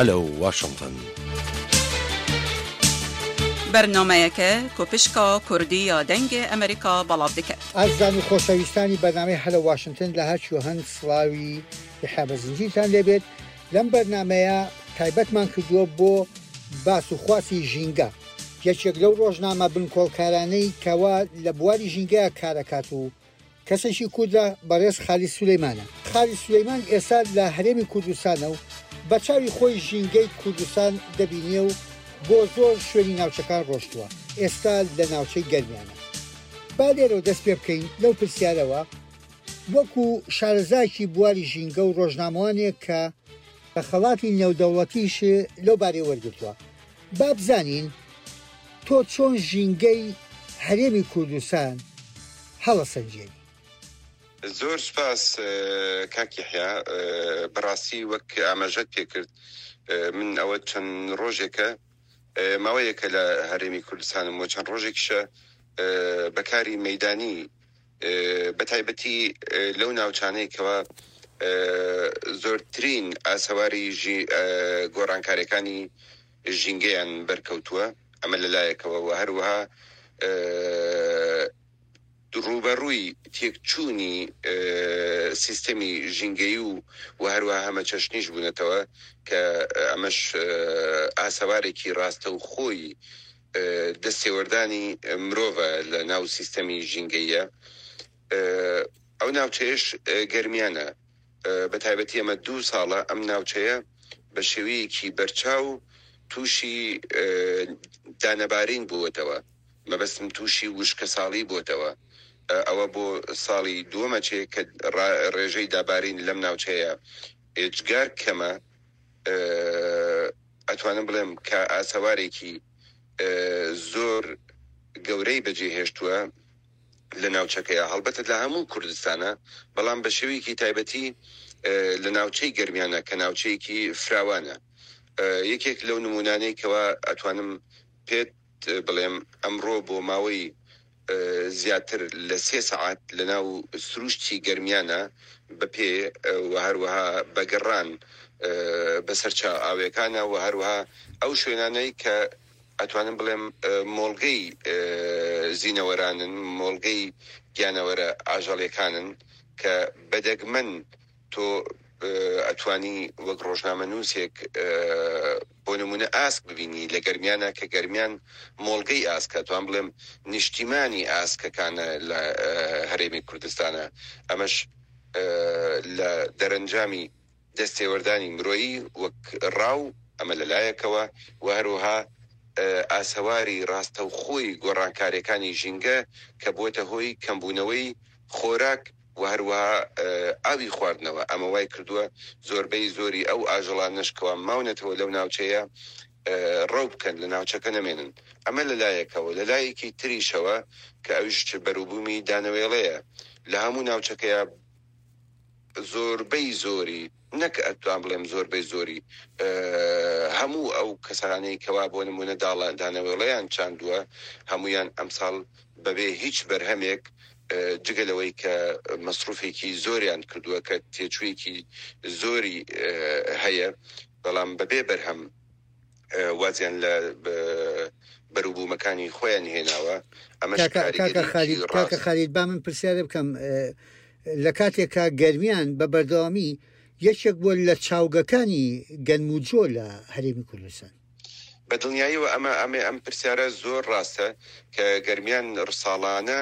Hello Washington. Bernameyeke ku pişka Kurdî ya Dengê Amerîka belav dike. ئازیزان و خۆشەویستانی بەرنامەی هەلۆ واشنتن لە هەر کوێ هەن سڵاوی یەحیا بەزنجیرتان لێبێت لەم بەرنامەیە تایبەتمان کردووە بۆ باس و خواسی ژینگە یەکێک لەو ڕۆژنامە بنکۆڵکارانەی کەوا لە بواری ژینگەیا کارەکات و کەسێکی کوردە بەڕێز خالید سولەیمانە. خالید سولەیمان ئێستا لە هەرێمی کوردستانە و بە چاوی خۆی ژینگەی کوردستان دەبینێ و بۆ زۆر شوێنی ناوچەکان ڕۆشتووە، ئێستا لە ناوچەی گەرمیانە. با لێرەوە دەست پێ بکەین لەو پرسیارەوە وەکو شارەزایەکی بواری ژینگە و ڕۆژنامەوانێک کە خەڵاتی نێودەوڵەتیش لەو بارەیە وەرگرتووە، با بزانین تۆ چۆن ژینگەی هەرێمی کوردستان هەڵەسەنگێنی؟ زۆر سوپاس کاک یەحیا، بەڕاستی وەک ئاماژەت پێکرد من ئەوە چەند ڕۆژێکە ماوەیەکە لە هەرێمی کوردستانم و چەند ڕۆژێکیشە بە کاری مەیدانی بە تایبەتی لەو ناوچانەی کەوا زۆرترین ئاسەواری گۆڕانکاریەکانی ژینگەیان بەرکەوتووە، ئەمە لە لایەکەوە و هەروەها ڕووبەڕووی تێکچوونی سیستەمی ژینگەیی و و هەروەها هەمەچەشنیش بوونەتەوە کە ئەمەش ئاسەوارێکی ڕاستەوخۆی دەستێوەردانی مرۆڤە لە ناو سیستەمی ژینگەییە. ئەو ناوچەیەش گەرمیانە، بە تایبەتی ئەمە دوو ساڵە ئەم ناوچەیە بە شێوەیەکی بەرچاو تووشی دانەبارین بووەتەوە، مەبەستم تووشی وشکەساڵی بووەتەوە، ئەوە بۆ ساڵی دووەمە چێ کە ڕێژەی دابارین لەم ناوچەیە ئێجگار کەمە، ئەتوانم بڵێم کە ئاسەوارێکی زۆر گەورەی بەجێهێشتووە. لە ناوچەکەیا، هەڵبەتە لە هەموو کوردستانا، بەڵام بە شێوەیەکی تایبەتی لە ناوچەی گەرمیانە کە ناوچەیەکی فراوانە. یەکێک لەو نموونانەی کەوا ئەتوانم پێت بڵێم ئەمڕۆ بۆ ماوەی زیاتر لە سێ سەعات لە ناو سرووشتی گەرمیانە بە پێ و هەروەها بە گەڕان بە سەر چاوئاوێکانا و هەروەها ئەو شوێنانەی کە ئەتوانم بڵێم مۆڵگەی زینەوەرانن، مۆڵگەی گیانەوەرە ئاژەڵیەکانن کە بە دەگمەن تۆ ئەتوانی وەک ڕۆژنامەنووسێک بۆ نموونە ئاسک ببینی لە گەرمیانە کە گەرمیان مۆڵگەی ئاسکە توان بڵێم نیشتیمانی ئاسکەکانە لە هەرێمی کوردستانە ئەمەش لە دەرەنجامی دەستێوەردانی مرۆیی وەک ڕاو، ئەمە لە لایەکەوە و هەروەها ئاسەواری ڕاستەوخۆی گۆڕانکارییەکانی ژینگە کە بووەتە هۆی کەمبوونەوەی خۆراک و هەروەها ئاوی خواردنەوە، ئەمە وای کردووە زۆربەی زۆری ئەو ئاژەڵانەش کەوا ماونەتەوە لەو ناوچەیە ڕەو بکەن لە ناوچەکە نەمێنن. ئەمە لە لایەکەوە، لە لایەکی تریشەوە کە ئەویش بەروبوومی دانەوێڵەیە لە هەموو ناوچەکەیا، زۆربەی زۆری نەک ئەتوان بڵێم زۆربەی زۆری هەموو ئەو کەسانەی کەوا بۆ نمونە داڵە دانەوێڵەیان چاندووە هەمویان ئەمساڵ بەبێ هیچ بەرهەمێک جگە لەوەی کە مەسروفێکی زۆریان کردووە کە تێچوویەکی زۆری هەیە بەڵام بەبێ بەرهەم وازیان لە بەروبوومەکانی خۆیان هێناوە ئەمەش کاکە خالید کاکە خالید با من پرسیارێ بکەم لە کاتێکا گەرمیان بە بەردەوامی یەکێک بووە لە چاوگەکانی گەنم و جۆ لە هەرێمی کوردستان. بە دڵنیاییەوە ئەمە ئەمە ئەم پرسیارە زۆر ڕاستە کە گەرمیان ڕساڵانە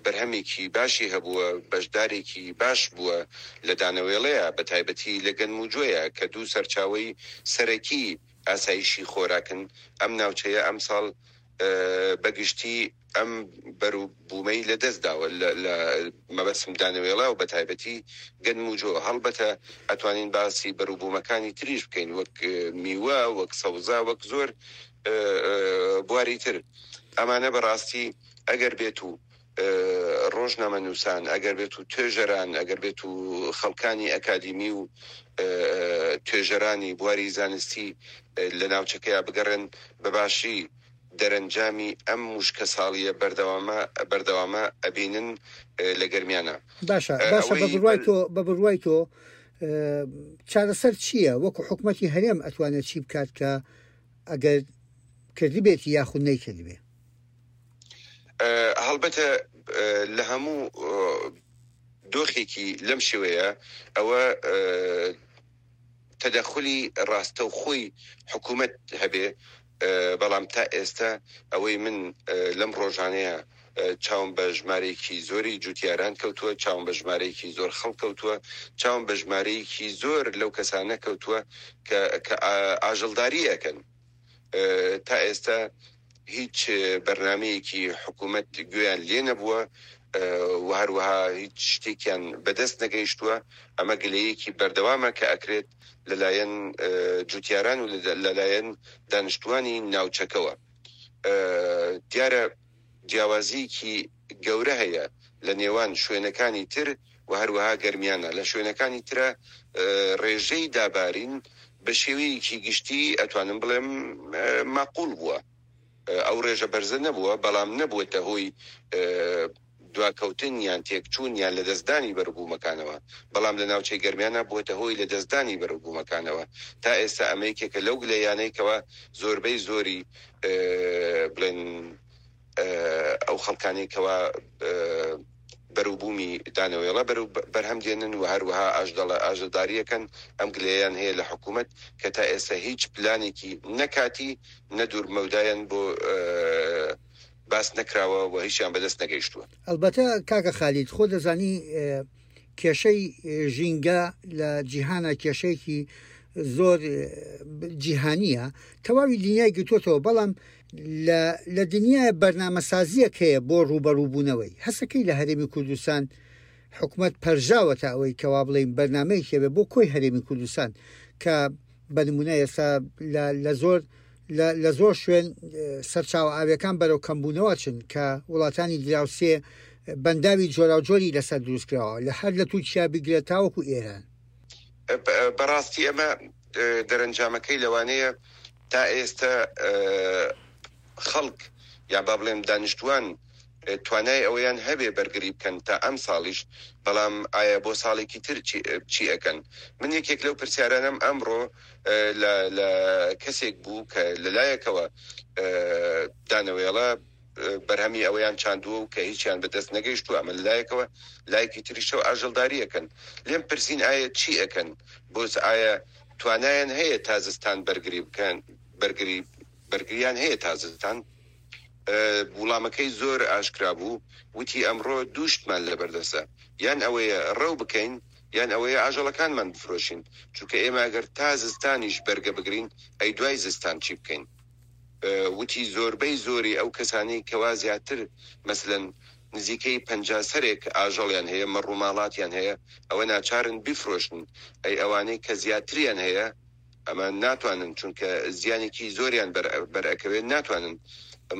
بەرهەمێکی باشی هەبووە، بەشدارێکی باش بووە لە دانەوێڵەیە بە تایبەتی لە گەنم و جۆیە کە دوو سەرچاوەی سەرەکی ئاسایشی خۆراکن، ئەم ناوچەیە ئەمساڵ بە گشتی ئەم بەروبوومەی لە دەست داوە لە مەبەستم دانەوێڵە و بە تایبەتی گەنم و جۆ، هەڵبەتە ئەتوانین باسی بەروبوومەکانی تریش بکەین وەک میوە، وەک سەوزە، وەک زۆر بواری تر. ئەمانە بە ڕاستی ئەگەر بێت و ڕۆژنامەنووسان، ئەگەر بێت و توێژەران، ئەگەر بێت و خەڵکانی ئەکادیمی و توێژەرانی بواری زانستی لە ناوچەکەیا بگەڕێن بە باشی دەرەنجامی ئەم وشکەساڵییە بەردەوامە بەردەوامە ئەبینن لە گەرمیانا. باشە باشە بە بڕوای تۆ بە بڕوای تۆ. چارەسەر چییە؟ وەکو حکومەتی هەرێم ئەتوانێت چی بکات کە ئەگەر کردبێتی یاخود نەیکردبێ؟ هەڵبەتە لە هەموو دۆخێکی لەم شێوەیە ئەوە تەدەخولی ڕاستەوخۆی حکوومەت هەبێ، بەڵام تا ئێستا ئەوەی من لەم ڕۆژانەیە چاوم بە ژمارەیەکی زۆری جوتیاران کەوتووە، چاوم بە ژمارەیەکی زۆر خەڵک کەوتووە، چاوم بە ژمارەیەکی زۆر لەو کەسانە کەوتووە کە کە ئاژەڵداری ئەکەن. تا ئێستا هیچ بەرنامەیەکی حکوومەت گوێیان لێ نەبووە و هەروەها هیچ شتێکیان بەدەست نەگەیشتووە. ئەمە گلەیەکی بەردەوامە کە ئەکرێت لەلایەن جوتیاران و لەلایەن دانیشتووانی ناوچەکەوە. دیارە جیاوازییەکی گەورە هەیە لە نێوان شوێنەکانی تر و هەروەها گەرمیانە. لە شوێنەکانی ترا ڕێژەی دابارین بە شێوەیەکی گشتی ئەتوانم بڵێم ماقوڵ بووە. ئەو ڕێژە بەرزە نەبووە، بەڵام نەبووەتە هۆی دواکەوتن یان تێکچوون یان لەدەستدانی بەروبوومەکانەوە، بەڵام لە ناوچەی گەرمیانا بووەتە هۆی لەدەستدانی بەروبوومەکانەوە. تا ئێستا ئەمە یەکێکە لەو گلەیانەی کەوا زۆربەی زۆری بڵێن ئەو خەڵکانەی کەوا بەروبوومی دانەوێڵە بەرو بەرهەم دێنن و هەروەها ئاژدەڵە ئاژەڵدارییەکەن ئەم گلەیەیان هەیە لە حکوومەت کە تا ئێستا هیچ پلانێکی نە کاتی نە دوورمەودایان بۆ باس نەکراوە و هیچیان بەدەست نەگەیشتووە. ئەڵبەتە کاکە خالید خۆ دەزانی کێشەی ژینگە لە جیهانا کێشەیەکی زۆر جیهانیە تەواوی دنیای گرتوتەوە بەڵام لە دنیای بەرنامەسازیەک هەیە بۆ ڕووبەڕووبوونەوەی هەسەکەی لە هەرێمی کوردستان حکومت پەرژاوەتە ئەوەی کەوا بڵین بەرنمەیەکی هەبێ بۆ کۆی هەرێمی کوردستان کە بە نمونە ئێستا لە زۆر لە زۆر شوێن سەرچاوە ئاویەکان بەرەو کەمبوونەوە چن کە وڵاتانی دراوسێ بەنداوی جۆراوجۆری لەسەر دروستکراوە لە هەر لە تورکیا بگرە تاوەکو ئێران. بەڕاستی ئەمە دەرەنجامەکەی لەوانەیە تا ئێستە خەڵک یا با بڵێم دانیشتوان توانای ئەوەیان هەبێ بەرگری بکەن تا ئەم ساڵیش، بەڵام ئایا بۆ ساڵێکی تر چی ئەکەن؟ من یەکێک لەو پرسیارانەم ئەمڕۆ لە لە کەسێک بوو کە لە لایەکەوە دانەوێڵە بەرهەمی ئەوەیان چاندووە و کە هیچیان بە دەست نەگەیشتووە، ئەمە لە لایەکەوە، لایەکی تریشەوە ئاژەڵداری ئەکەن. لێم پرسین ئایا چی ئەکەن؟ بۆ ئایا توانایان هەیە تا زستان بەرگری بکەن، بەرگری بەرگریان هەیە تا زستان؟ وڵامەکەی زۆر ئاشکرا بوو، وتی ئەمڕۆ دوو شتمان لەبەردەستە، یان ئەوەیە ڕەو بکەین، یان ئەوەیە ئاژەڵەکانمان بفرۆشین، چونکە ئێمە ئەگەر تا زستانیش بەرگە بگرین، ئەی دوای زستان چی بکەین؟ وتی زۆربەی زۆری ئەو کەسانەی کەوا زیاتر مەسەلەن نزیکەی 50 سەرێک ئاژەڵیان هەیە، مەڕوماڵاتیان هەیە، ئەوە ناچارن بیفرۆشن، ئەی ئەوانەی کە زیاتریان هەیە؟ ئەمە ناتوانن چونکە زیانێکی زۆریان بەر ئەکەوێت ناتوانن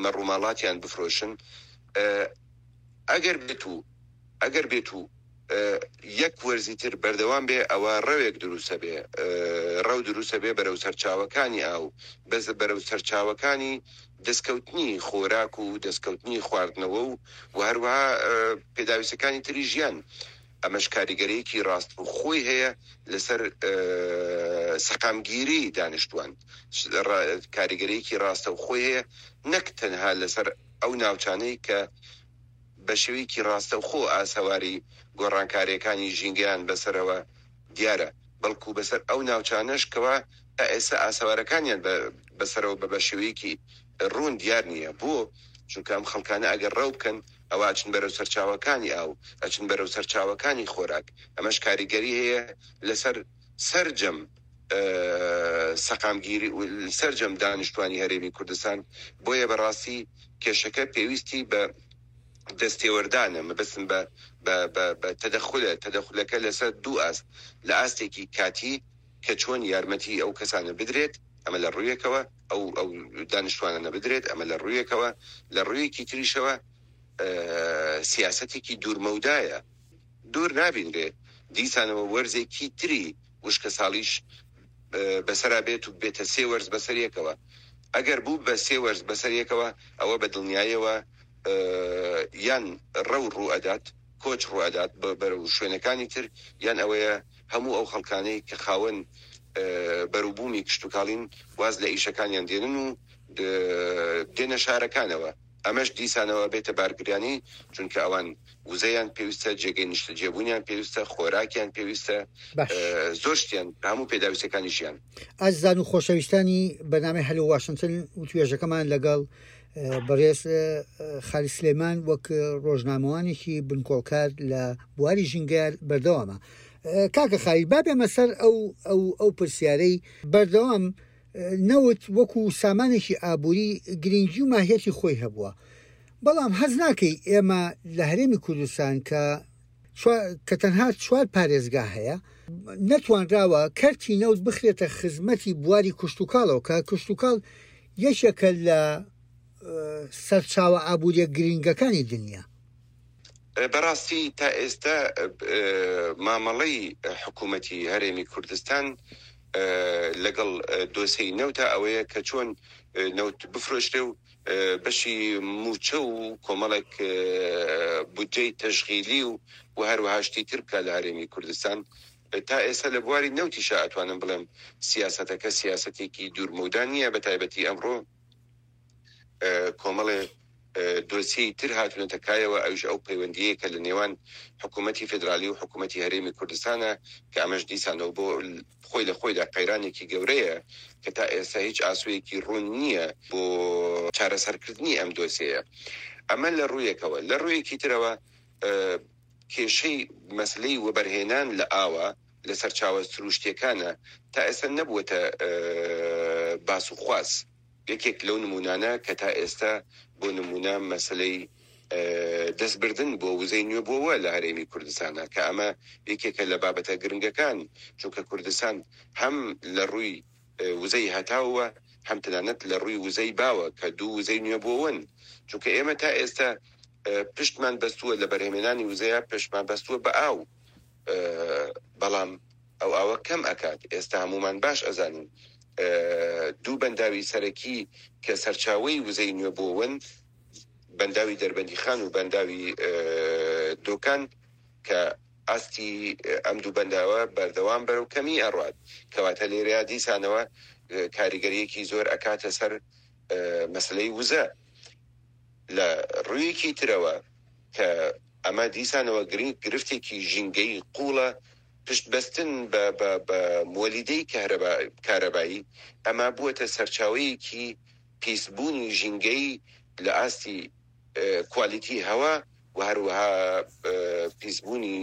مەڕوماڵاتیان بفرۆشن ئەگەر بێت و ئەگەر بێت و یەک وەرزی تر بەردەوام بێ ئەوە ڕەوێک دروستە بێ ڕەو دروستە بێ بەرەو سەرچاوەکانی ئاو بەس بەرەو سەرچاوەکانی دەستکەوتنی خۆراک و دەستکەوتنی خواردنەوە و و هەروەها پێداویستەکانی تری ژیان ئەمەش کاریگەرییەکی ڕاستەوخۆی هەیە لەسەر سەقامگیریی دانیشتووان، کاریگەرییەکی ڕاستەوخۆی هەیە نەک تەنها لەسەر ئەو ناوچانەی کە بە شێوەیەکی ڕاستەوخۆ ئاسەواری گۆڕانکارییەکانی ژینگەیان بەسەرەوە دیارە، بەڵکو بەسەر ئەو ناوچانەش کەوا تا ئێستا ئاسەوارەکانیان بەسەرەوە بە شێوەیەکی ڕوون دیار نییە. بۆ؟ چونکە ئەم خەڵکانە ئەگەر ڕەو بکەن ئەوا ئەچن بەرەو سەرچاوەکانی ئاو، ئەچن بەرەو سەرچاوەکانی خۆراک، ئەمەش کاریگەری هەیە لەسەر سەرجەم سەقامگیری و سەرجەم دانیشتوانی هەرێمی کوردستان، بۆیە بەڕاستی کێشەکە پێویستی بە دەستێوەردانە، مەبەستم بە بە بە بە تەدەخولە، تەدەخولەکە لەسەر دوو ئاست، لە ئاستێکی کاتی کە چۆن یارمەتی ئەو کەسانە بدرێت، ئەمە لە ڕوویەکەوە، ئەو ئەو دانیشتوانانە بدرێت، ئەمە لە ڕوویەکەوە، لە ڕوویەکی تریشەوە سیاسەتێکی دوورمەودایە، دوور نابینرێ دیسانەوە وەرزێکی تری وشکەساڵیش بەسەرا بێت و بێتە سێ وەرز بەسەر یەکەوە. ئەگەر بوو بە سێ وەرز بەسەر یەکەوە، ئەوە بە دڵنیایەوە یان ڕەو ڕوو ئەدات. کۆچ ڕوئەدات بەرەو شوێنەکانی تر یان ئەوەیە هەموو ئەو خەڵکانەی کە خاوەن بەروبوومی کشتوکاڵین واز لە ئیشەکانیان دێنن و دێنە شارەکانەوە، ئەمەش دیسانەوە ئەبێتە بارگرانی چونکە ئەوان وزەیان پێویستە، جێگەی نیشتەجێبوونیان پێویستە، خۆراکیان پێویستە، باش. زۆر شتیان، هەموو پێداویستیەکانی ژیان. ئازیزان و خۆشەویستانی بەرنامەی هەلۆ واشنتن وتوێژەکەمان لەگەڵ بەڕێز خالید سلێمان وەک ڕۆژنامەوانێکی بنکۆڵکار لە بواری ژینگە بەردەوامە. کاکە خالید با بێمە سەر ئەو ئەو ئەو پرسیارەی بەردەوام نەوت وەکو سامانێکی ئابووری گرنگی و ماهیەتی خۆی هەبووە بەڵام هەست ناکەی ئێمە لە هەرێمی کوردستان کە کە تەنها چوار پارێزگا هەیە نەتوانراوە کەرتی نەوت بخرێتە خزمەتی بواری کشتتوکاڵەوە کە کشتتوکاڵ یەکێکە لە سەرچاوە ئابووریە گرنگەکانی دنیا. بەڕاستی تا ئێستا مامەڵەی حکوومەتی هەرێمی کوردستان لەگەڵ دۆسێی نەوتا ئەوەیە کە چۆن نەوت بفرۆشرێ و بەشی مووچە و کۆمەڵێک بودجەی تەشغیلی و و هەروەها شتی تر بکا لە هەرێمی کوردستان. تا ئێستا لە بواری نەوتیشا ئەتوانم بڵێم سیاسەتەکە سیاسەتێکی دوورمەودا نییە بەتایبەتی ئەمڕۆ کۆمەڵێ دۆسیەی تر هاتوونەتە کایەوە، ئەویش ئەو پەیوەندییەیە کە لە نێوان حکوومەتی فێدرالی و حکوومەتی هەرێمی کوردستانە، کە ئەمەش دیسانەوە بۆ خۆی لە خۆیدا قەیرانێکی گەورەیە کە تا ئێستا هیچ ئاسۆیەکی ڕوون نییە بۆ چارەسەرکردنی ئەم دۆسیەیە. ئەمە لە ڕوویەکەوە. لە ڕوویەکی ترەوە کێشەی مەسەلەی وەبەرهێنان لە ئاوە لە سەرچاوە سرووشتییەکانە تا ئێستا نەبووەتە باس و خواس. یەکێک لەو نموونانە کە تا ئێستا بۆ نموونە مەسەلەی دەستبردن بۆ وزەی نوێبووەوە لە هەرێمی کوردستانە کە ئەمە یەکێکە لە بابەتە گرنگەکان چونکە کوردستان هەم لە ڕووی وزەی هەتاووە هەم تەنانەت لە ڕووی وزەی باوە کە دوو وزەی نوێبووەوەن چونکە ئێمە تا ئێستا پشتمان بەستووە لە بەرهەمێنانی وزەیە پشتمان بەستووە بە ئاو بەڵام ئەو ئاوە کەم ئەکات ئێستا هەموومان باش ئەزانین دوو بەنداوی سەرەکی کە سەرچاوەی وزەی نوێبووەوەن بەنداوی دەربەندیخان و بەنداوی دۆکان کە ئاستی ئەم دوو بەنداوە بەردەوام بەرەو کەمی ئەڕوات کەواتە لێرەیا دیسانەوە کاریگەریەکی زۆر ئەکاتە سەر مەسلەی وزە لە ڕوویەکی ترەوە کە ئەمە دیسانەوە گرنگ گرفتێکی ژینگەیی قووڵە، پشت بەستن بە بە بە موەلیدەی کەهرەبا کارەبایی، ئەمە بووەتە سەرچاوەیەکی پیسبوونی ژینگەیی لە ئاستی کوالیتی هەوا و هەروەها پیسبوونی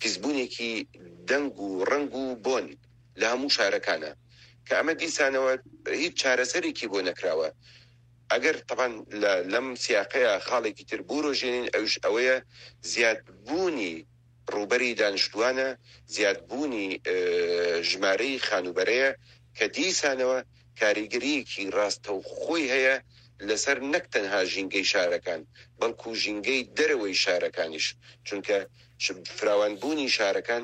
پیسبوونێکی دەنگ و ڕەنگ و بۆن لە هەموو شارەکانە کە ئەمە دیسانەوە هیچ چارەسەرێکی بۆ نەکراوە. ئەگەر تەبعەن لە لەم سیاقەیا خاڵێکی تر بورۆژێنین ئەویش ئەوەیە زیاد بوونی ڕووبەری دانیشتووانە، زیاد بوونی ژمارەی خانووبەرەیە کە دیسانەوە کاریگەرییەکی ڕاستەوخۆی هەیە لەسەر نەک تەنها ژینگەی شارەکان بەڵکو ژینگەی دەرەوەی شارەکانیش چونکە فراوان بوونی شارەکان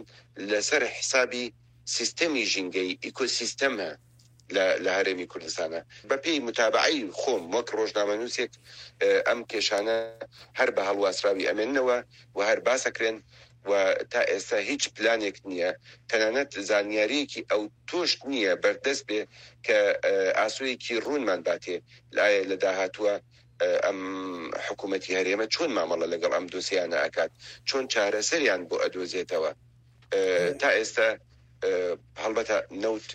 لەسەر حسابی سیستەمی ژینگەیی، ئیکۆسیستەمە. لە لە هەرێمی کوردستانە. بە پێی متابەعەی خۆم وەک ڕۆژنامەنووسێک ئەم کێشانە هەر بە هەڵواسراوی ئەمێننەوە و هەر باس ئەکرێن و تا ئێستا هیچ پلانێک نییە تەنانەت زانیارییەکی ئەوتۆش نییە بەردەست بێ کە ئاسۆیەکی ڕوونمان باتێ ئایا لە داهاتووە ئەم حکوومەتی هەرێمە چۆن مامەڵە لەگەڵ ئەم دۆسیانە ئەکات چۆن چارەسەریان بۆ ئەدۆزێتەوە. تا ئێستا هەڵبەتە نەوت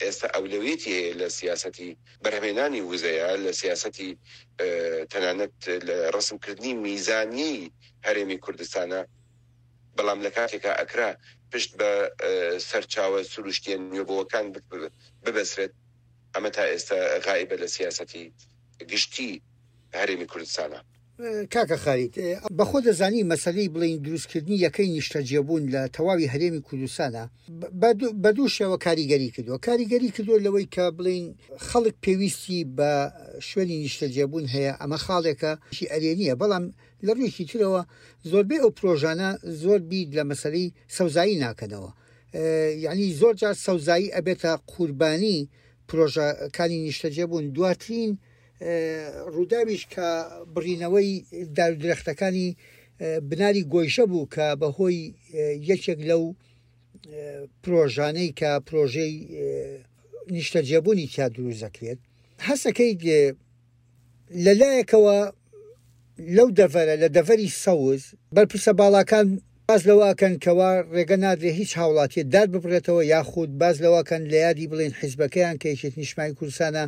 ئێستا ئەولەویەتی هەیە لە سیاسەتی بەرهەمێنانی وزەیە لە سیاسەتی تەنانەت لە ڕەسمکردنی میزانیەی هەرێمی کوردستانە بەڵام لە کاتێکا ئەکرا پشت بە سەرچاوە سروشتیە نوێبووەکان ببەسرێت ئەمە تا ئێستا غائیبە لە سیاسەتی گشتی هەرێمی کوردستانە. کاکە خالید، بەخۆت دەزانی مەسەلەی بڵێین دروستکردنی یەکەی نیشتەجێبوون لە تەواوی هەرێمی کوردستانا بە دوو شێوە کاریگەری کردووە، کاریگەری کردووە لەوەی کە بڵێین خەڵک پێویستی بە شوێنی نیشتەجێبوون هەیە، ئەمە خاڵێکە ئەرێنییە، بەڵام لە ڕوویەکی ترەوە زۆربەی ئەو پرۆژانە زۆر بیر لە مەسەلەی سەوزایی ناکەنەوە، یانی زۆر جار سەوزایی ئەبێتە قوربانی پرۆژەکانی نیشتەجێبوون، دواترین ڕووداویش کە بڕینەوەی دار و درەختەکانی بناری گۆیژە بوو کە بەهۆی یەکێک لەو پرۆژانەی کە پرۆژەی نیشتەجێبوونی تیا دروست دەکرێت هەستەکەیت لە لایەکەوە لەو دەڤەرە لە دەڤەری سەوز بەرپرسە باڵاکان باس لەوە ئەکەن کەوا ڕێگە نادرێ هیچ هاوڵاتیە دار ببڕێتەوە یاخود باس لەوە کەن لە یادی بڵێن حیزبەکەیان کە یەکێتی نیشتمانی کوردستانە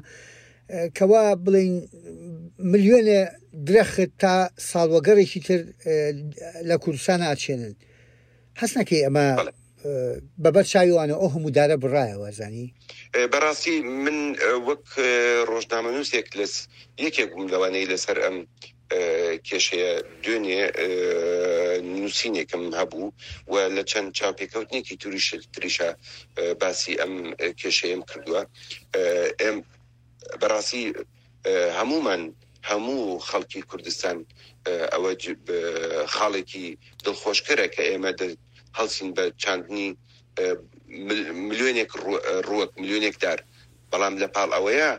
کەوا بڵێن ملیۆنێ درەخت تا ساڵوەگەڕێکی تر لە کوردستان ئاچێنن هەست نەکەی ئەمە بەبەر چاوی وانە ئەو هەموو دارە بڕایەوە زانی. بەڕاستی من وەک ڕۆژنامەنووسێک لەس یەکێک بووم لەوانەی لەسەر ئەم کێشەیە دوێنێ نووسینێکم هەبوو و لە چەند چاوپێکەوتنێکی توریش تریشا باسی ئەم کێشەیەم کردووە. ئێم بەڕاستی هەموومان هەموو خەڵکی کوردستان ئەوە خاڵێکی دڵخۆشکەرە کە ئێمە هەڵسین بە چاندنی ملیۆنێک ڕووەک ملیۆنێک دار بەڵام لە پاڵ ئەوەیە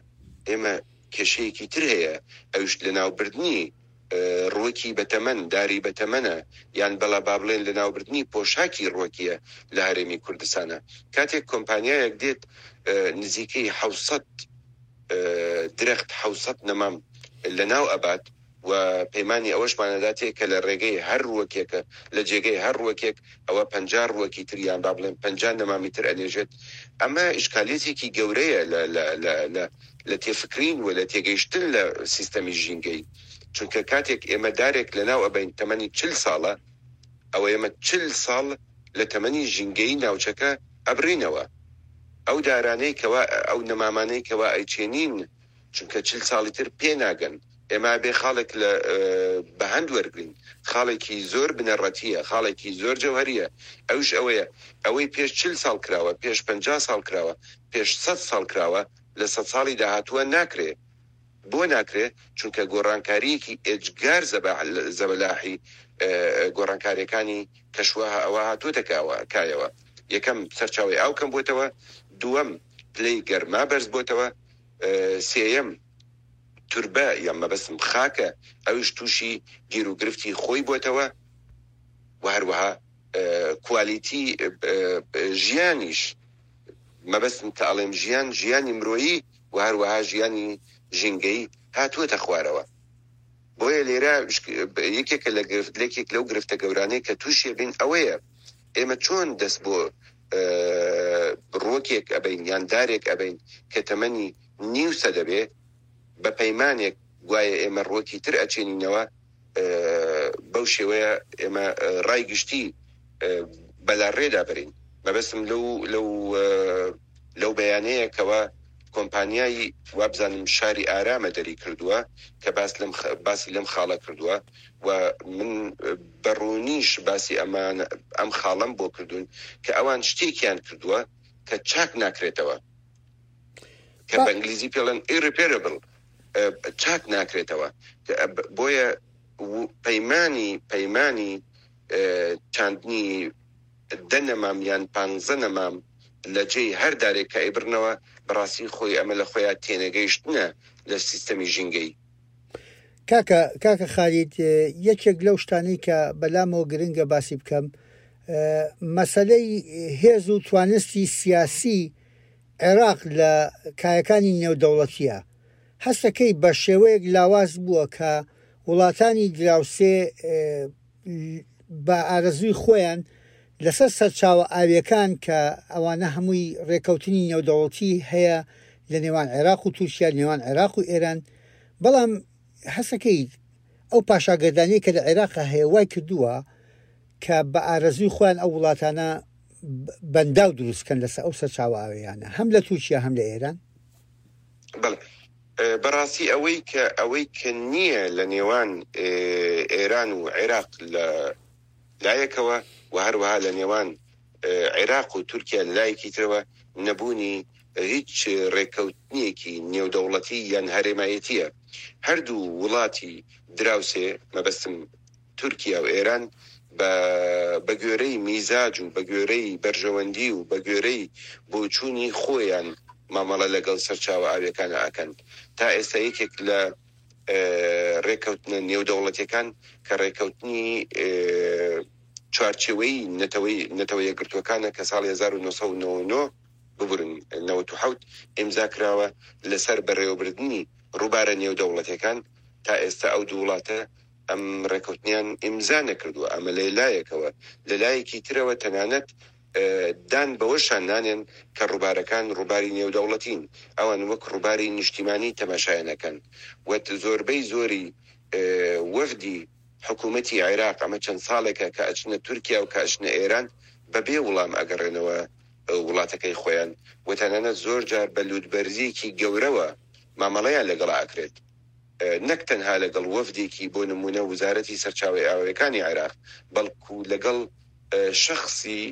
ئێمە کێشەیەکی تر هەیە ئەوش لەناوبردنی ڕووەکی بەتەمەن داری بەتەمەنە یان بەڵا با بڵێن لەناوبردنی پۆشاکی ڕووەکیە لە هەرێمی کوردستانە کاتێک کۆمپانیایەک دێت نزیکەی 600 درەخت 600 نەمام لەناو ئەبات و پەیمانی ئەوەشمان ئەداتێ کە لە ڕێگەی هەر ڕووەکێکە لە جێگەی هەر ڕووەکێک ئەوە 50 ڕووەکی تر یان با بڵێن 50 نەمامی تر ئەنێژێت ئەمە ئیشکالیەتێکی گەورەیە لە لە لە لە لە تێفکرین و لە تێگەیشتن لە سیستەمی ژینگەی چونکە کاتێک ئێمە دارێک لەناو ئەبەین تەمەنی 40 ساڵە ئەوە ئێمە 40 ساڵ لە تەمەنی ژینگەیی ناوچەکە ئەبڕینەوە ئەو دارانەی کەوا ئەو نەمامانەی کەوا ئەیچێنین چونکە 40 ساڵی تر پێ ناگەن ئێمە ئەبێ خاڵێک لە بە هەند وەرگرین خاڵێکی زۆر بنەڕەتییە خاڵێکی زۆر جەوهەرییە ئەویش ئەوەیە ئەوەی پێش 40 ساڵ کراوە پێش 50 ساڵ کراوە پێش 100 ساڵ کراوە لە سەد ساڵی داهاتووە ناکرێ بۆ ناکرێ چونکە گۆڕانکارییەکی ئێجگار زەبەلاحی گۆڕانکارییەکانی کەشوهە ئەوە هاتووەتە کایەوە یەکەم سەرچاوەی ئاو کەم بووەتەوە دووەم پلەی گەرما بەرز بۆتەوە سێیەم توربە یان مەبەستم خاکە ئەویش تووشی گیروگرفتی خۆی بۆتەوە و هەروەها کوالیتی ژیانیش مەبەستم کە ئەڵێم ژیان ژیانی مرۆیی و هەروەها ژیانی ژینگەیی هاتووەتە خوارەوە. بۆیە لێرە یەکێکە لە گرفت لێکێک لەو گرفتە گەورانەی کە تووشی بین ئەوەیە ئێمە چۆن دەست بۆ ڕووەکێک ئەبەین یان دارێک ئەبەین کە تەمەنی نیو سەدە بێ بە پەیمانێک گوایە ئێمە ڕووەکی تر ئەچێنینەوە بەو شێوەیە ئێمە ڕای گشتی بەلاڕێدا بەرین. مەبەستم لەو لەو لەو بەیانەیە کەوا کۆمپانیای وابزانم شاری ئارامە دەری کردووە کە باس لەم باسی لەم خاڵە کردووە و من بە ڕوونیش باسی ئەمان ئەم خاڵەم بۆ کردوون کە ئەوان شتێکیان کردووە کە چاک ناکرێتەوە کە بە ئینگلیزی پێڵێن irreparable چاک ناکرێتەوە بۆیە پەیمانی پەیمانی چاندنی دە نەمام یان پانزە نەمام لە جێی هەر دارێک کە ئەیبڕنەوە، بەڕاستی خۆی ئەمە لە خۆیا تێنەگەیشتنە لە سیستەمی ژینگەیی. کاکە کاکە خالید یەکێک لەو شتانەی کە بەلامەوە گرنگە باسی بکەم مەسەلەی هێز و توانستی سیاسی عێراق لە کایەکانی نێودەوڵەتیە هەستەکەی بە شێوەیەک لاواز بووە کە وڵاتانی دراوسێ بە ئارەزووی خۆیان لەسەر سەرچاوە ئاوییەکان کە ئەوانە هەمووی ڕێکەوتنی نێودەوڵەتی هەیە لە نێوان عێراق و تورکیا نێوان عێراق و ئێران بەڵام هەسەکەی ئەو پاشاگەردانیە کە لە عێراق هەیە وای کردووە کە بە ئارەزووی خۆیان ئەو وڵاتانە بەنداو دروستکەن لەسەر ئەو سەرچاوە ئاویانە هەم لە تورکیا هەم لە ئێران. بەڵێ بەڕاستی ئەوەی کە ئەوەی کە نییە لە نێوان ئێران و عێراق لە لایەکەوە و هەروەها لە نێوان عێراق و تورکیا لە لایەکی ترەوە نەبوونی هیچ ڕێککەوتنێکی نێودەوڵەتی یان هەرێمایەتییە. هەردوو وڵاتی دراوسێ مەبەستم تورکیا و ئێران بە بە گوێرەی میزاج و بە گوێرەی بەرژەوەندی و بە گوێرەی بۆچوونی خۆیان مامەڵە لەگەڵ سەرچاوە ئاویەکانا ئەکەن. تا ئێستا یەکێک لە. ڕێککەوتنە نێودەوڵەتیەکان کە ڕێککەوتنی چوارچێوەی نەتەوەی نەتەوە یەکگرتووەکانە کە ساڵی 1999 ببورن 97 ئیمزا کراوە لەسەر بەڕێوەبردنی ڕووبارە نێودەوڵەتیەکان تا ئێستا ئەو دوو وڵاتە ئەم ڕێککەوتنیان ئیمزا نەکردووە ئەمە لە لایەکەوە لە لایەکی ترەوە تەنانەت دان بەوەشا نانێن کە ڕووبارەکان ڕووباری نێودەوڵەتین، ئەوان وەک ڕووباری نیشتیمانی تەماشایان ئەکەن و زۆربەی زۆری وەفدی حکوومەتی عێراق ئەمە چەند ساڵێکە کە ئەچنە تورکیا و کە ئەچنە ئێران بەبێ وڵام ئەگەڕێنەوە وڵاتەکەی خۆیان و تەنانەت زۆر جار بە لووتبەرزییەکی گەورەوە مامەڵەیان لەگەڵا ئەکرێت. نەک تەنها لەگەڵ وەفدێکی بۆ نموونە وزارەتی سەرچاوەی ئاوەکانی عێراق، بەڵکو لەگەڵ شەخسی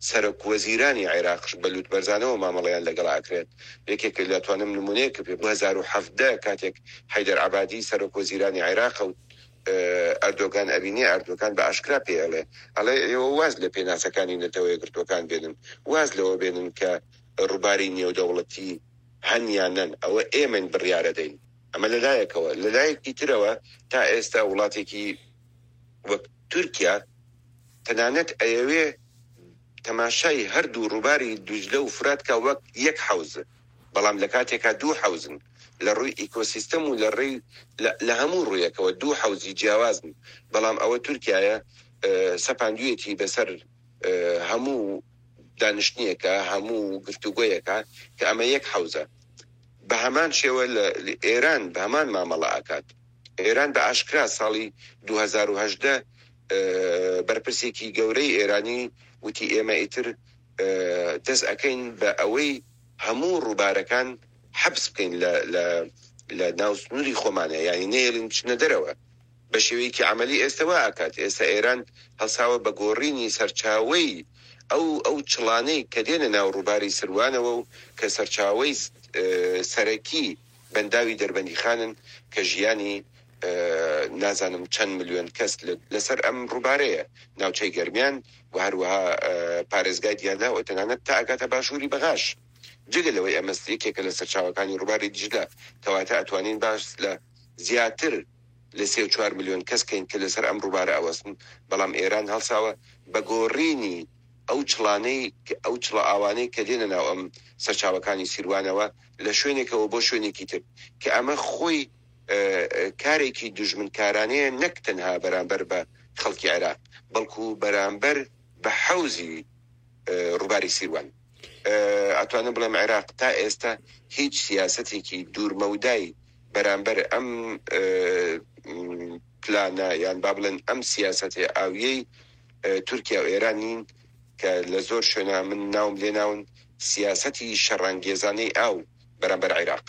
سەرۆک وەزیرانی عێراقش بە لوتبەرزانەوە مامەڵەیان لەگەڵ ئەکرێت. یەکێک لە توانم نموونەیەک پێ 2017 کاتێک حەیدەر عەبادی سەرۆک وەزیرانی عێراقە و ئەردۆگان ئەبینێ، ئەردۆگان بە ئاشکرا پێی ئەڵێ، ئەڵێ ئێوە واز لە پێناسەکانی نەتەوە یەکگرتووەکان بێنن، واز لەوە بێنن کە ڕووباری نێودەوڵەتی هەن یان نەن، ئەوە ئێمەین بڕیارەدەین. ئەمە لە لایەکەوە، لە لایەکی ترەوە تا ئێستا وڵاتێکی وەک تورکیا تەنانەت ئەیەوێ تەماشای هەردوو ڕووباری دوجلە و فورات کا وەک یەک حەوز، بەڵام لە کاتێکا دوو حەوزن لە ڕووی ئیکۆسیستەم و لە ڕێی لە هەموو ڕوویەکەوە دوو حەوزی جیاوازن، بەڵام ئەوە تورکیایە سەپاندویەتی بەسەر هەموو دانیشتنێکا، هەموو گفتوگۆیەکا کە ئەمە یەک حەوزە. بە هەمان شێوە لە ئێران بە هەمان مامەڵە ئەکات. ئێران بە ئاشکرا ساڵی 2018 بەرپرسێکی گەورەی ئێرانی وتی ئێمە ئیتر دەست ئەکەین بە ئەوەی هەموو ڕووبارەکان حەبس بکەین لە لە لە ناو سنووری خۆمانە یانی نەیەڵین بچنە دەرەوە. بە شێوەیەکی عەمەلی ئێستە وا ئەکات. ئێستە ئێران هەڵساوە بە گۆڕینی سەرچاوەی ئەو ئەو چڵانەی کە دێنە ناو ڕووباری سروانەوە و کە سەرچاوەی سەرەکی بەنداوی دەربەندیخانن کە ژیانی نازانم چەند ملیۆن کەس لەسەر ئەم ڕووبارەیە، ناوچەی گەرمیان و هەروەها پارێزگای دیالە و تەنانەت تا ئەگاتە باشووری بەغاش. جگە لەوەی ئەمە یەکێکە لە سەرچاوەکانی ڕووباری دیجلە، کەواتە ئەتوانین باس لە زیاتر لە سێ و چوار ملیۆن کەس کەین کە لەسەر ئەم ڕووبارە ئەوەستن، بەڵام ئێران هەڵساوە بە گۆڕینی ئەو چڵانەی ئەو چڵە ئاوانەی کە دێنە ناو ئەم سەرچاوەکانی سیروانەوە لە شوێنێکەوە بۆ شوێنێکی تر کە ئەمە خۆی کارێکی دوژمنکارانەیە نەک تەنها بەرامبەر بە خەڵکی عێراق بەڵکو بەرامبەر بە حەوزی ڕووباری سیروان. ئەتوانم بڵێم عێراق تا ئێستا هیچ سیاسەتێکی دوورمەودای بەرامبەر ئەم پلانە یان با بڵێن ئەم سیاسەتێ ئاویەی تورکیا و ئێران نین کە لە زۆر شوێنا من ناوم لێ ناون سیاسەتی شەڕانگێزانەی ئاو بەرامبەر عیراق.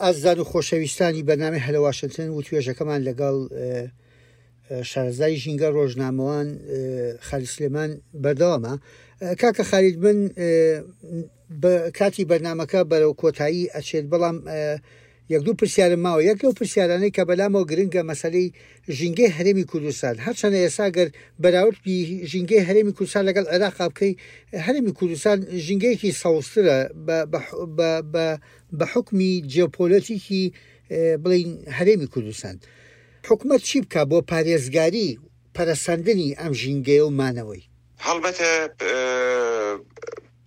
ئازیزان و خۆشەویستانی بەرنامەی هەلە واشنتن وتوێژەکەمان لەگەڵ شارەزای ژینگە ڕۆژنامەوان خالید سلێمان بەردەوامە کاکە خالید من کاتی بەرنمەکە بەرەو کۆتایی ئەچێت بەڵام یەک دوو پرسیارم ماوە یەک لەو پرسیارانەی کە بەلامەوە گرنگە مەسەلەی ژینگەی هەرێمی کوردستان هەرچەنە ئێستا گەر بەراورد ژینگەی هەرێمی کوردستان لەگەڵ عێراقا بکەی هەرێمی کوردستان ژینگەیەکی سەوزترە بە حکمی جیۆپۆلەتیکی بڵین هەرێمی کوردستان حکومەت چی بکا بۆ پارێزگاری پەرەسەندنی ئەم ژینگەیە و مانەوەی؟ هەڵبەتە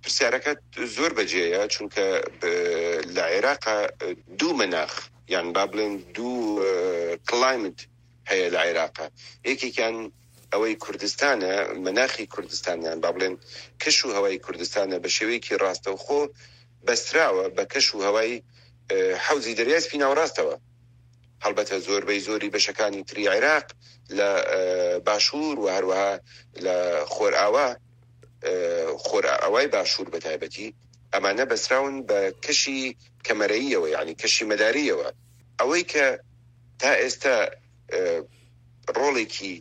پرسیارەکەت زۆر بەجێیە، چونکە لە عێراقا دوو مەناخ یان با بڵێن دوو کلایمت هەیە لە عێراقا، یەکێکیان ئەوەی کوردستانە، مەناخی کوردستان یان با بڵێن کەش و هەوای کوردستانە بە شێوەیەکی ڕاستەوخۆ بەستراوە بە کەش و هەوای حەوزی دەریای سپی ناوەڕاستەوە. هەڵبەتە زۆربەی زۆری بەشەکانی تری عێراق لە باشوور و هەروەها لە خۆرئاوا، خۆرئاوای باشوور بە تایبەتی، ئەمانە بەستراون بە کەشی کەمەرەییەوە یانی کەشی مەدارییەوە. ئەوەی کە تا ئێستا ڕۆڵێکی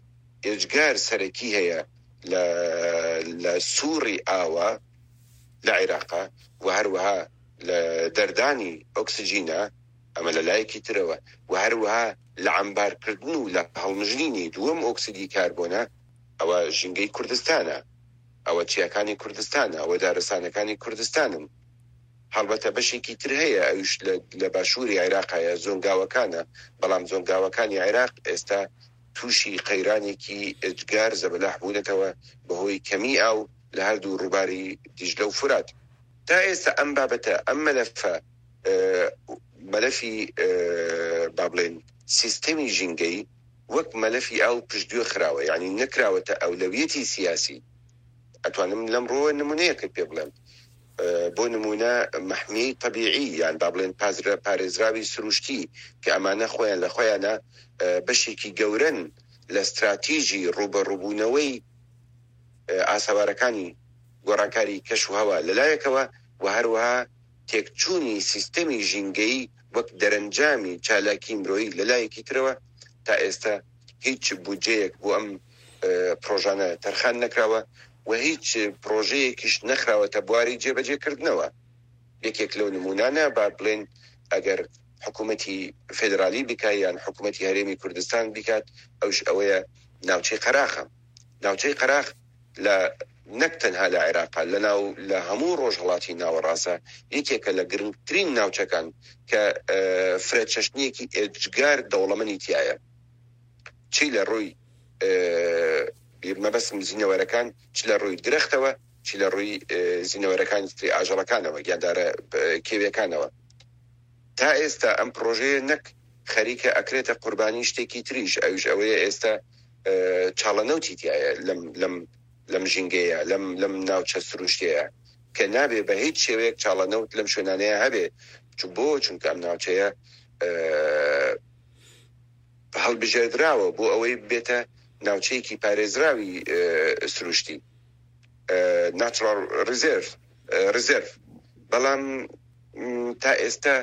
ئێجگار سەرەکی هەیە لە لە سووڕی ئاوە لە عێراقا و هەروەها لە دەردانی ئۆکسجینە، ئەمە لە لایەکی ترەوە و هەروەها لە عەمبارکردن و لە هەڵمژینی دووەم ئۆکسیدی کاربۆنە، ئەوە ژینگەی کوردستانە، ئەوە چیاکانی کوردستانە، ئەوە دارستانەکانی کوردستانن. هەڵبەتە بەشێکی تر هەیە ئەویش لە باشووری عێراق هەیە زۆنگاوەکانە، بەڵام زۆنگاوەکانی عێراق ئێستا تووشی قەیرانێکی ئێجگار زەبەلاح بوونەتەوە بەهۆی کەمی ئاو لە هەردوو ڕووباری دیجلە و فورات. تا ئێستا ئەم بابەتە، ئەم مەلەفە، مەلەفی با بڵێین سیستەمی ژینگەیی وەک مەلەفی ئاو پشتگوێ خراوە، یانی نەکراوەتە ئەولەویەتی سیاسی. ئەتوانم لەم ڕووە نموونەیەکت پێ بڵێم. بۆ نموونە مەحمیەی تەبیعی یان با بڵێن پارێزراوی سروشتی کە ئەمانە خۆیان لە خۆیانا بەشێکی گەورەن لە ستراتیژی ڕووبەڕووبوونەوەی ئاسەوارەکانی گۆڕانکاری کەش و هەوا لە لایەکەوە و هەروەها تێکچوونی سیستەمی ژینگەیی وەک دەرەنجامی چالاکی مرۆیی لە لایەکی ترەوە تا ئێستا هیچ بودجەیەک بۆ ئەم پڕۆژانە تەرخان نەکراوە و هیچ پڕۆژەیەکیش نەخراوەتە بواری جێبەجێکردنەوە. یەکێک لەو نموونانە با بڵێین ئەگەر حکوومەتی فێدرالی بکا یان حکوومەتی هەرێمی کوردستان بیکات ئەویش ئەوەیە ناوچەی قەراخە. ناوچەی قەراخ لە نەک تەنها لە عێراقا لە ناو لە هەموو ڕۆژهەڵاتی ناوەڕاستە یەکێکە لە گرنگترین ناوچەکان کە فرەچەشنییەکی ئێجگار دەوڵەمەنی تیایە. چی لە ڕووی مەبەستم زینەوەرەکان چ لە ڕووی درەختەوە چ لە ڕووی زینەوەرەکانی تری ئاژەڵەکانەوە گیاندارە کێویەکانەوە تا ئێستا ئەم پڕۆژەیە نەک خەریکە ئەکرێتە قوربانی شتێکی تریش ئەویش ئەوەیە ئێستا چاڵە نەوتی تایە لەم لەم لەم ژینگەیە لەم لەم ناوچە سروشتەیە کە نابێ بە هیچ شێوەیەک چاڵە نەوت لەم شوێنانەیە هەبێ بۆ چونکە ئەم ناوچەیە هەڵبژێردراوە بۆ ئەوەی ببێتە ناوچەیەکی پارێزراوی سروشتی، Natural Reserve، Reserve، بەڵام تا ئێستا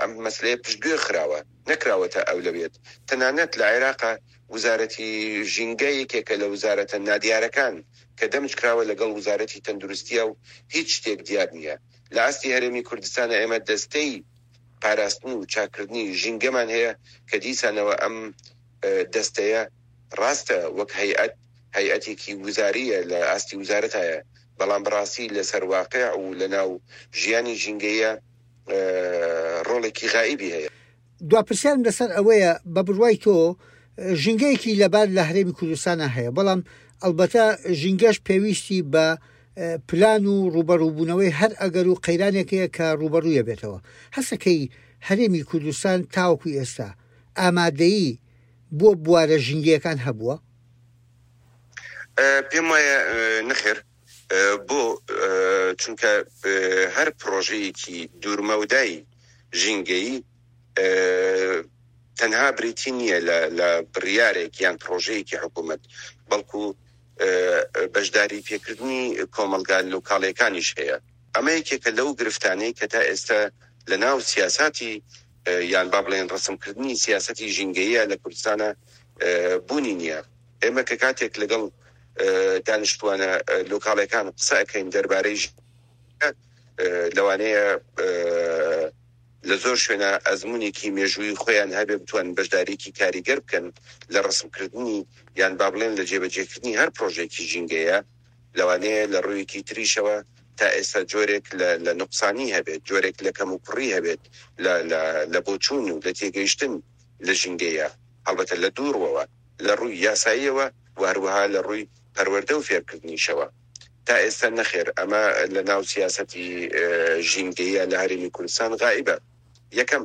ئەم مەسلەیە پشتگوێ خراوە، نەکراوەتە ئەولەویەت. تەنانەت لە عێراقا وزارەتی ژینگە یەکێکە لە وزارەتە نادیارەکان کە دەمج کراوە لەگەڵ وزارەتی تەندروستییە و هیچ شتێک دیار نییە. لە ئاستی هەرێمی کوردستانا ئێمە دەستەی پاراستن و چاککردنی ژینگەمان هەیە کە دیسانەوە ئەم دەستەیە ڕاستە وەک هەیئەت هەیئەتێکی وزارییە لە ئاستی وزارەتایە بەڵام بەڕاستی لەسەر واقع و لەناو ژیانی ژینگەیە ڕۆڵێکی غائیبی هەیە. دوا پرسیارم لەسەر ئەوەیە بە بڕوای تۆ ژینگەیەکی لەبار لە هەرێمی کوردستانا هەیە بەڵام ئەڵبەتە ژینگەش پێویستی بە پلان و ڕووبەڕووبوونەوەی هەر ئەگەر و قەیرانێک هەیە کە ڕووبەڕوویە بێتەوە. هەستەکەی هەرێمی کوردستان تاوەکو ئێستا ئامادەیی بۆ بوارە ژینگەیەکان هەبووە؟ پێم وایە نەخێر. بۆ؟ چونکە هەر پڕۆژەیەکی دوورمەودای ژینگەیی تەنها بریتی نییە لە بڕیارێک یان پڕۆژەیەکی حکوومەت، بەڵکو بەشداری پێکردنی کۆمەڵگا لۆکاڵیەکانیش هەیە. ئەمە یەکێکە لەو گرفتانەی کە تا ئێستا لە ناو سیاساتی یان با بڵێن ڕەسمکردنی سیاسەتی ژینگەییە لە کوردستانا بوونی نییە. ئێمە کە کاتێک لەگەڵ دانیشتوانە لۆکاڵیەکان قسە ئەکەین دەربارەی ژینگە لەوانەیە لە زۆر شوێنا ئەزموونێکی مێژوویی خۆیان هەبێ بتوانن بەشدارییەکی کاریگەر بکەن لە ڕەسمکردنی یان با بڵێن لە جێبەجێکردنی هەر پڕۆژەیەکی ژینگەیە، لەوانەیە لە ڕوویەکی تریشەوە تا ئێستا جۆرێک لە لە نوقسانی هەبێت، جۆرێک لە کەموکوڕی هەبێت لە لە لە بۆچوون و لە تێگەیشتن لە ژینگەیە، هەڵبەتە لە دوو ڕووەوە، لە ڕووی یاساییەوە و هەروەها لە ڕووی پەروەردە و فێرکردنیشەوە. تا ئێستا نەخێر ئەمە لە ناو سیاسەتی ژینگەیە لە هەرێمی کوردستان غائیبە. یەکەم،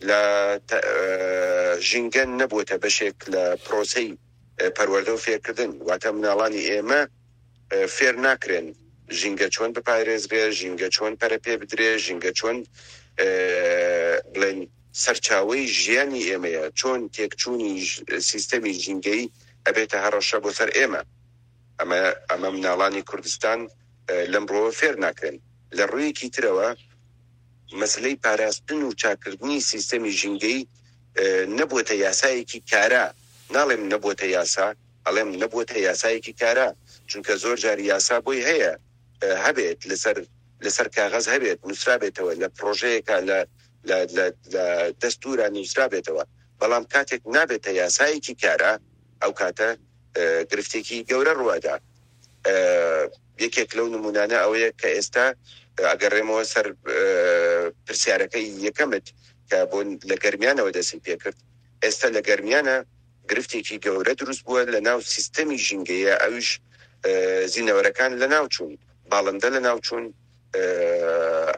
لە ژینگە نەبووەتە بەشێک لە پرۆسەی پەروەردە و فێرکردن، واتە مناڵانی ئێمە فێر ناکرێن ژینگە چۆن بپارێزرێ، ژینگە چۆن پەرە پێ بدرێ، ژینگە چۆن بڵێن سەرچاوەی ژیانی ئێمەیە، چۆن تێکچوونی سیستەمی ژینگەیی ئەبێتە هەڕەشە بۆ سەر ئێمە. ئەمە ئەمە مناڵانی کوردستان لەم ڕووەوە فێر ناکرێن. لە ڕوویەکی ترەوە مەسەلەی پاراستن و چاککردنی سیستەمی ژینگەیی نەبووەتە یاسایەکی کارا، ناڵێم نەبووەتە یاسا، ئەڵێم نەبووەتە یاسایەکی کارا، چونکە زۆر جار یاسا بۆی هەیە هەبێت لەسەر لەسەر کاغەز هەبێت نووسرابێتەوە لە پڕۆژەیەکا لە لە لە لە دەستوورا نووسرابێتەوە، بەڵام کاتێک نابێتە یاسایەکی کارا ئەو کاتە گرفتێکی گەورە ڕووئەدا. یەکێک لەو نمونانە ئەوەیە کە ئێستا ئەگەڕێمەوە سەر پرسیارەکەی یەکەمت کە بۆ لە گەرمیانەوە دەستم پێکرد، ئێستا لە گەرمیانە گرفتێکی گەورە دروست بووە لە ناو سیستەمی ژینگەیە ئەویش زینەوەرەکان لە ناو چوون، باڵندە لە ناو چوون،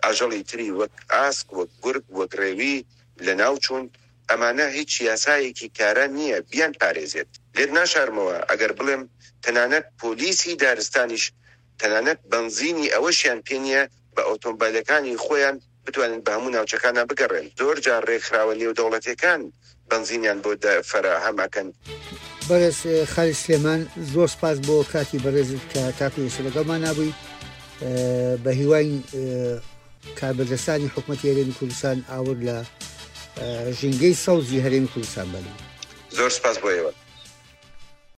ئاژەڵی تری وەک ئاسک، وەک گورگ، وەک ڕێوی لە ناو چوون، ئەمانە هیچ یاسایەکی کارا نییە بیان پارێزێت. لێت ناشارمەوە ئەگەر بڵێم تەنانەت پۆلیسی دارستانیش تەنانەت بەنزینی ئەوەشیان پێ نییە بە ئۆتۆمبێلەکانی خۆیان بتوانن بە هەموو ناوچەکانا بگەڕێن. زۆر جار رێکخراوە نێودەوڵەتیەکان بەنزینیان بۆ فەراهەم ئەکەن. بەڕێز خالید سلێمان زۆر سپاس بۆ کاتی بەڕێزت کە تاکو ئێستا لەگەڵمانا بووی بە هیواین کاربەدەستانی حکومەتی هەرێمی کوردستان ئاور لە ژینگەی سەوزی هەرێمی کوردستان بەنەوە. زۆر سپاس بۆ ئێوە.